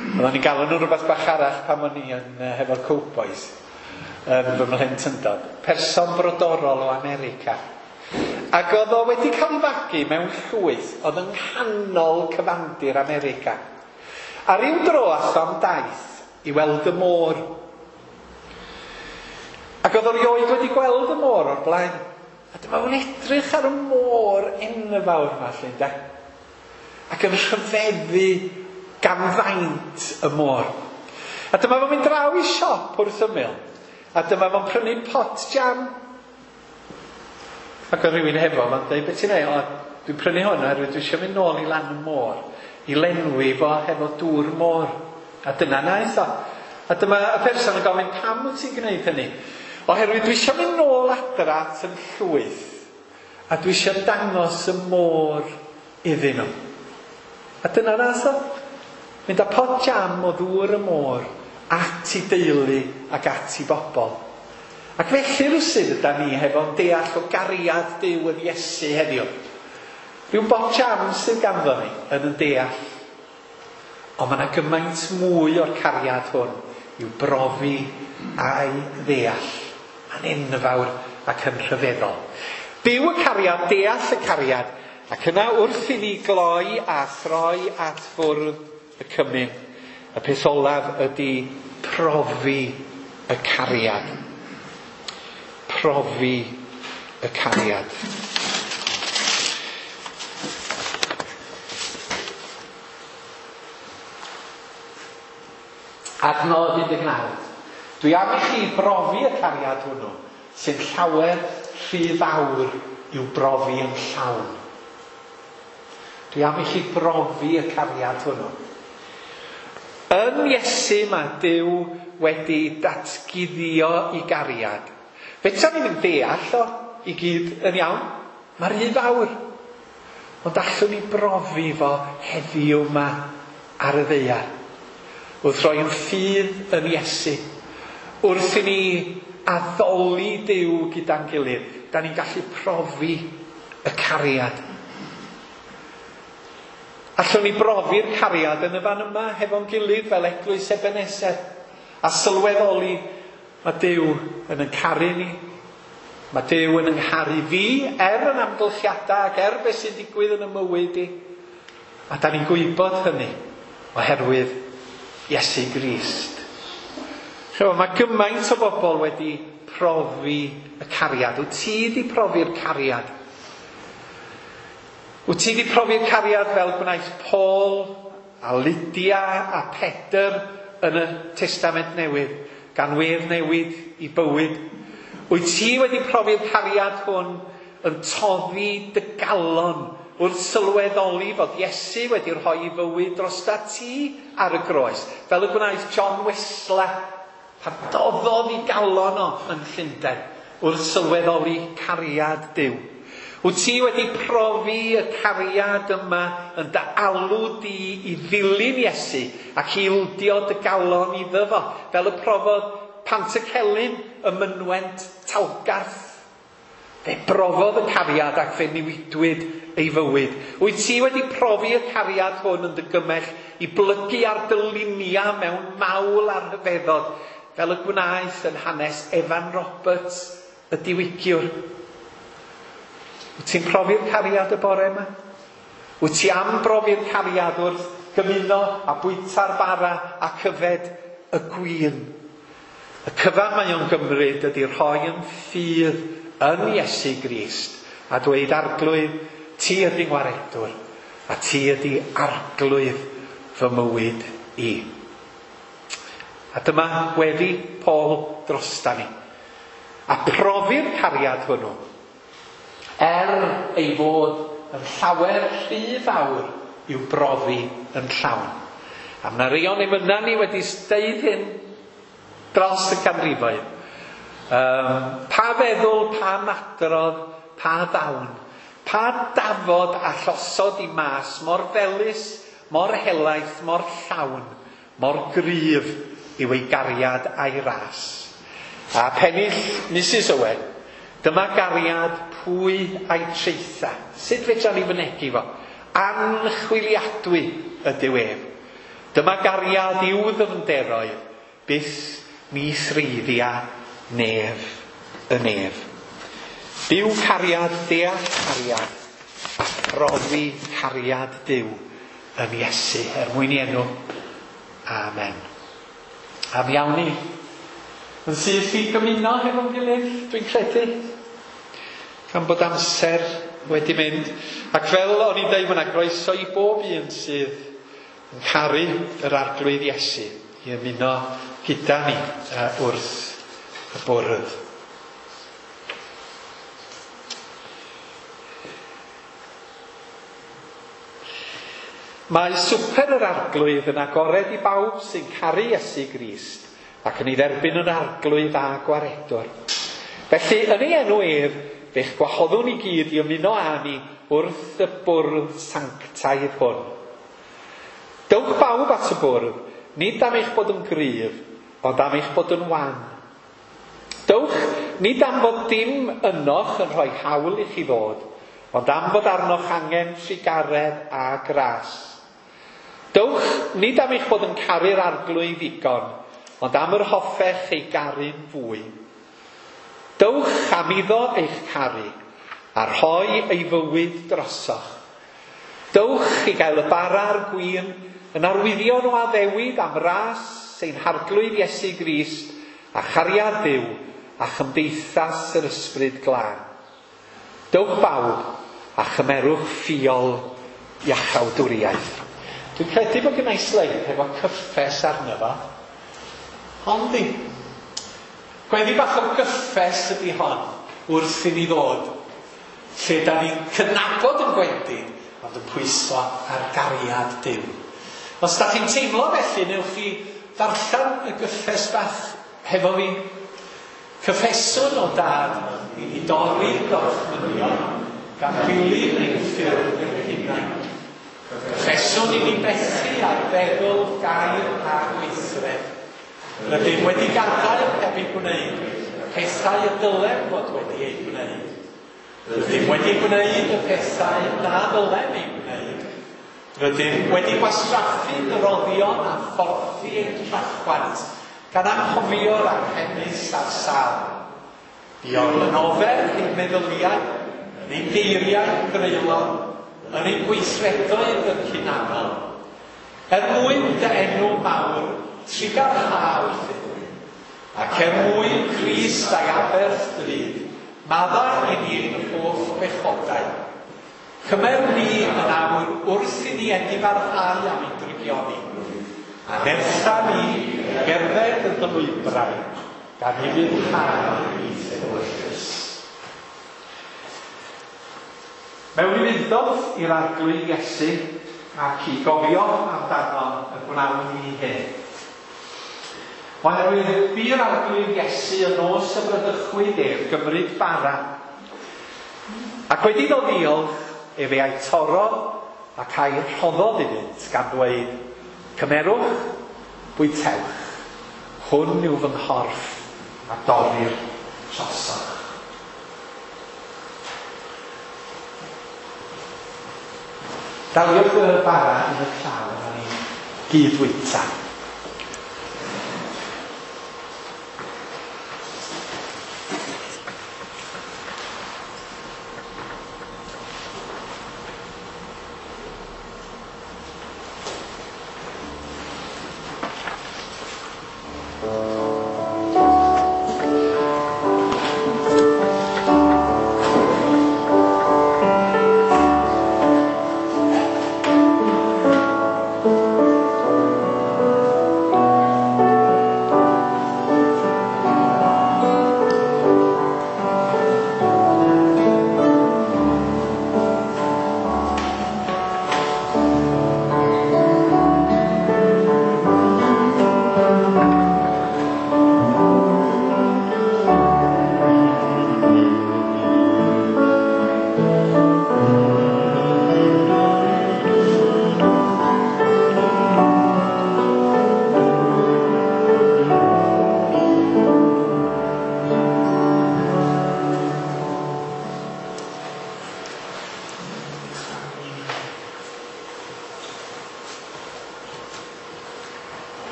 Oedden ni'n galw nhw rhywbeth bach arall pan o'n i yn uh, hefo'r Cowboys yn fy mhlentyndod. Person brodorol o America. Ac oedd o wedi cael ei fagu mewn llwyth oedd yng nghanol cyfandir America. A ryw dro ath o am daith i weld y môr. Ac oedd o rioed wedi gweld y môr o'r blaen. A dyma fo'n edrych ar y môr enfawr yma, lle, ynde? Ac yn rhyfeddu gan faint y môr. A dyma fo'n mynd draw i siop wrth ymyl. A dyma fo'n prynu pot jam. Ac oedd rhywun hefo fo'n dweud, beth ti'n neud? O, dwi'n prynu hwn oherwydd dwi eisiau mynd nôl i lan y môr, i lenwi fo hefo dŵr môr. A dyna naeth o. A dyma y person yn gofyn, pam wyt ti'n gwneud hynny? Oherwydd dwi eisiau mynd nôl adra at yn llwyth, a dwi eisiau dangos y môr iddyn nhw. A dyna naeth o. Mynd â pot jam o ddŵr y môr at i deulu ac at i bobl. Ac felly rywsut yda ni hefo'n deall o gariad Duw yn Iesu heddiw. Rhyw bot jam sydd ganddo ni yn yn deall. Ond mae yna gymaint mwy o'r cariad hwn i'w brofi a'i ddeall. Mae'n enfawr ac yn rhyfeddol. Byw y cariad, deall y cariad, ac yna wrth i ni gloi a throi at fwrdd y cymun, y peth olaf ydy profi y cariad. Profi y cariad. Adnod un deg naw. Dwi am i chi brofi y cariad hwnnw, sy'n llawer rhy fawr i'w brofi yn llawn. Dwi am i chi brofi y cariad hwnnw. Yn Iesu mae Duw wedi datguddio i gariad. Fedra ni ddim deall o i gyd yn iawn. Mae rhy fawr. Ond allwn ni brofi fo heddiw yma ar y ddaear. Wrth roi yn ffydd yn Iesu. Wrth i ni addoli Duw gyda'n gilydd, da ni'n gallu profi y cariad. Allwn ni brofi'r cariad yn y fan yma hefo'n gilydd fel Eglwys Ebeneser a sylweddoli mae Duw yn yn caru ni. Mae Duw yn yngharu fi er yn amgylchiadau ac er beth sy'n digwydd yn y mywyd i. A da ni'n gwybod hynny oherwydd Iesu Grist. Chymod, mae gymaint o bobl wedi profi y cariad. Wyt ti wedi profi'r cariad? Wyt ti wedi profi'r cariad fel gwnaeth Paul a Lydia a Pedr yn y Testament Newydd, gan wedd newid i bywyd? Wyt ti wedi profi'r cariad hwn yn toddi dy galon wrth sylweddoli fod Iesu wedi rhoi ei fywyd drosta ti ar y groes, fel y gwnaeth John Wesley pan doddodd ei galon o yn Llundain wrth sylweddoli cariad Duw? Wyt ti wedi profi y cariad yma yn dy alw di i ddilyn Iesu ac i ildio dy galon iddo fo, fel y profodd Pantycelyn y mynwent Talgarth? Fe brofodd y cariad ac fe newidwyd ei fywyd. Wyt ti wedi profi y cariad hwn yn dy gymell i blygu ar dy luniau mewn mawl a rhyfeddod, fel y gwnaeth yn hanes Evan Roberts, y diwygiwr? Wyt ti'n profi'r cariad y bore yma? Wyt ti am brofi'r cariad wrth gymuno a bwyta'r bara a cyfed y gwin? Y cyfan mae o'n gymryd ydy rhoi yn ffydd yn Iesu Grist a dweud, Arglwydd, ti ydy ngwaredwr, a ti ydy arglwydd fy mywyd i. A dyma weddi Paul drosta ni. A profi'r cariad hwnnw, er ei fod yn llawer rhy fawr i'w brofi yn llawn. A mae 'na rei o'n emyna ni wedi deud hyn dros y canrifoedd. Um, pa feddwl, pa madrodd, pa ddawn, pa dafod a llosod i mas mor felys, mor helaeth, mor llawn, mor gryf yw ei gariad a'i ras. A pennill Misus Owen, dyma gariad pwy a'i traetha. Sut fedra ni fynegi fo? Anchwiliadwy ydyw ef. Dyma gariad i'w ddyfnderoedd, byth ni threiddia nef y nef. Byw cariad, deall cariad, a phrofi cariad Duw yn Iesu, er mwyn i enw. Amen. A mi awn ni yn syth i gymuno hefo'n gilydd, dwi'n credu, gan bod amser wedi mynd. Ac fel o'n i'n deud, mae yna groeso i bob un sydd yn caru yr Arglwydd Iesu i ymuno gyda ni uh, wrth y bwrdd. Mae swper yr Arglwydd yn agored i bawb sy'n caru Iesu Grist ac yn ei dderbyn yn Arglwydd a Gwaredwr. Felly, yn ei enw ef, fe'ch gwahoddwn i gyd i ymuno â ni wrth y bwrdd sanctaidd hwn. Dewch bawb at y bwrdd, nid am eich bod yn gryf, ond am eich bod yn wan. Dewch, nid am fod dim ynoch yn rhoi hawl i chi ddod, ond am fod arnoch angen trugaredd a gras. Dewch, nid am eich bod yn caru'r Arglwydd ddigon, ond am yr hoffech ei garu'n fwy. Dewch am iddo eich caru, a rhoi ei fywyd drosoch. Dewch i gael y bara a'r gwin yn arwyddion o addewid am ras ein Harglwydd Iesu Grist a chariad Duw a chymdeithas yr Ysbryd Glân. Dewch bawb a chymerwch ffiol iachawdwriaeth. Dwi'n credu bod gynna i sleid hefo cyffes arno fo. Ond di. Gweddi bach o gyffes ydy hon wrth i ni ddod, lle da ni'n cydnabod yn gwendid, ond yn pwyso ar gariad Duw. Os da chi'n teimlo felly, newch chi ddarllen y gyffes bach hefo fi. Cyffeswn o dad i ni dorri'r gorchmynion gan ddilyn ein ffyrdd ein hunain. Cyffeswn i ni bethu ar feddwl, gair a gweithred. Rydym wedi gadael heb eu gwneud pethau y dylem fod wedi eu gwneud. Rydym wedi gwneud y pethau na ddylem eu gwneud. Rydym wedi gwastraffu dyroddion a phorthi ein trachwant, gan anghofio'r anghenus a'r sâl. Buom yn ofer ein meddyliau, yn ein geiriau greulon, yn ein gweithredoedd yn hunanol. Er mwyn dy enw mawr, trugarha wrthym, ac er mwyn Crist a'i aberth drud, maddau i ni'n holl bechodau. Cymer ni yn awr wrth i ni edifarhau am ein drygioni, a nertha ni gerdded yn dy lwybrau, gan i ufuddhau i'th ewyllys. Mewn ufudd-dod i'r Arglwydd Iesu ac i gofio amdano y gwnawn ni hyn. Oherwydd bu'r Arglwydd Iesu y nos y bradychwyd ef gymryd bara, ac wedi iddo ddiolch, efe a'i torrodd ac a'i rhoddodd iddynt, gan ddweud, cymerwch, bwytewch, hwn yw fy nghorff a dorrir drosoch. Daliwch y bara yn y llaw a ni gyd fwyta.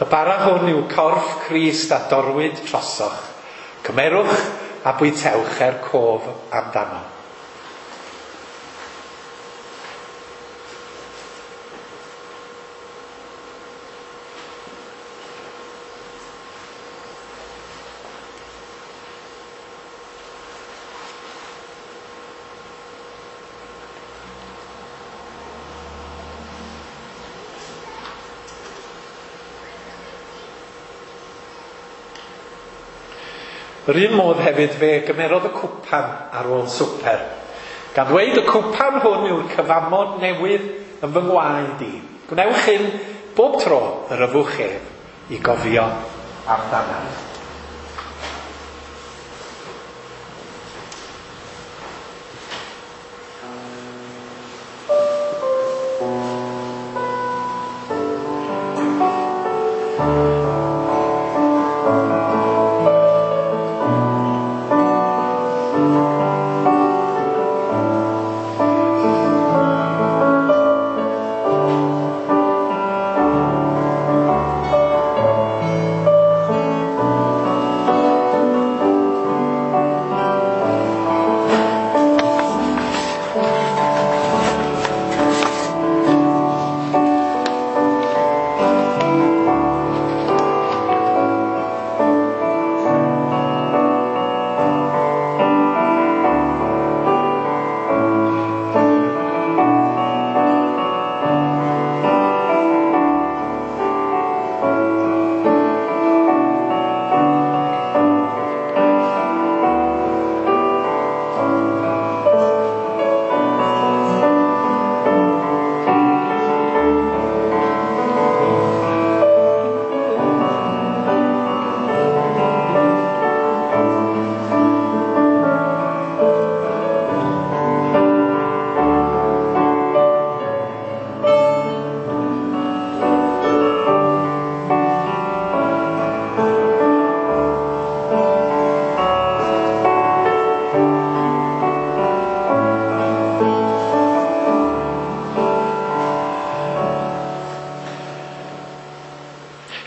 Y bara hwn yw corff Crist a dorwyd trosoch. Cymerwch a bwytewch er cof amdano. Yr un modd hefyd fe gymerodd y cwpan ar ôl swper, gan ddweud y cwpan hwn yw'r cyfamod newydd yn fy ngwaed i. Gwnewch hyn bob tro yr yfwch ef i gofio amdanaf.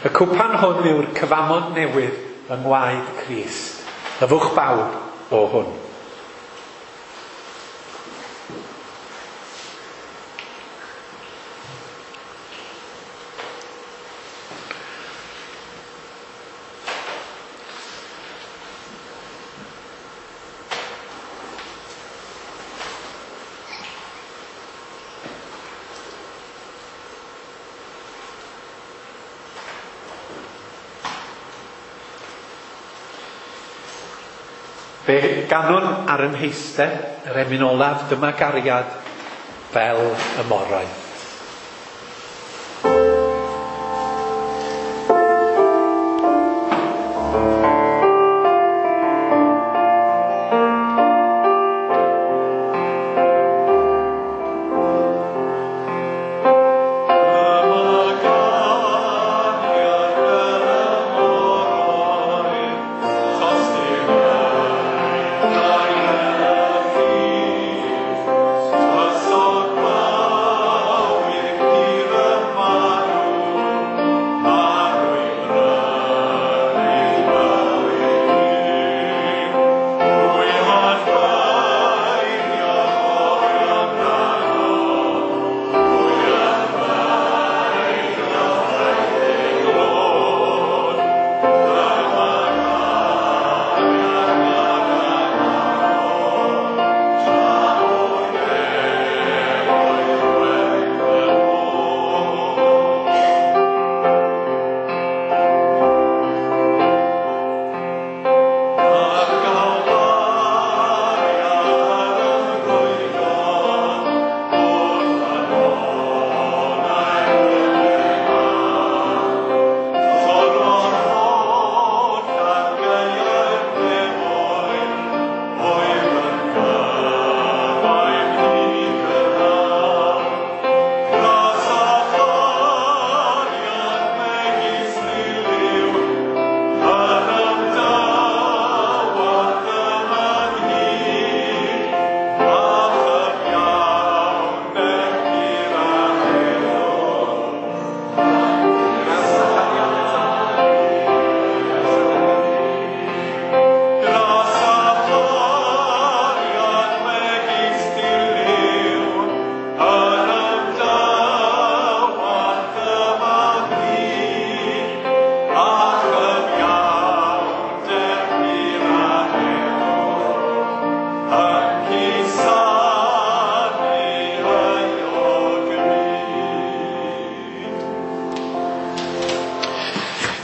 Y cwpan hwn yw'r cyfamod newydd yng ngwaed Crist. Yfwch bawb o hwn. Fe ganwn ar yn heistedd, yr emyn olaf, dyma gariad fel y moroedd. Oh,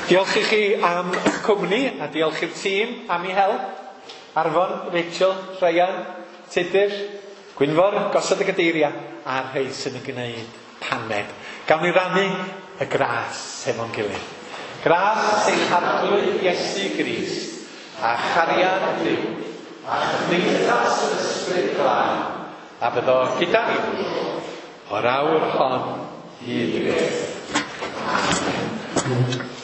Diolch i chi am eich cwmni a diolch i'r tîm am ei help. Arfon, Rachel, Ryan, Tudur, Gwynfor, gosod y gadeiriau a'r rhai sy'n yn gwneud paned. Gawn ni rannu y gras hefo'n gilydd. Gras ein Harglwydd Iesu Grist a chariad Duw a chymdeithas yr Ysbryd Glân a byddo gyda ni o'r awr hon hyd byth. Amen.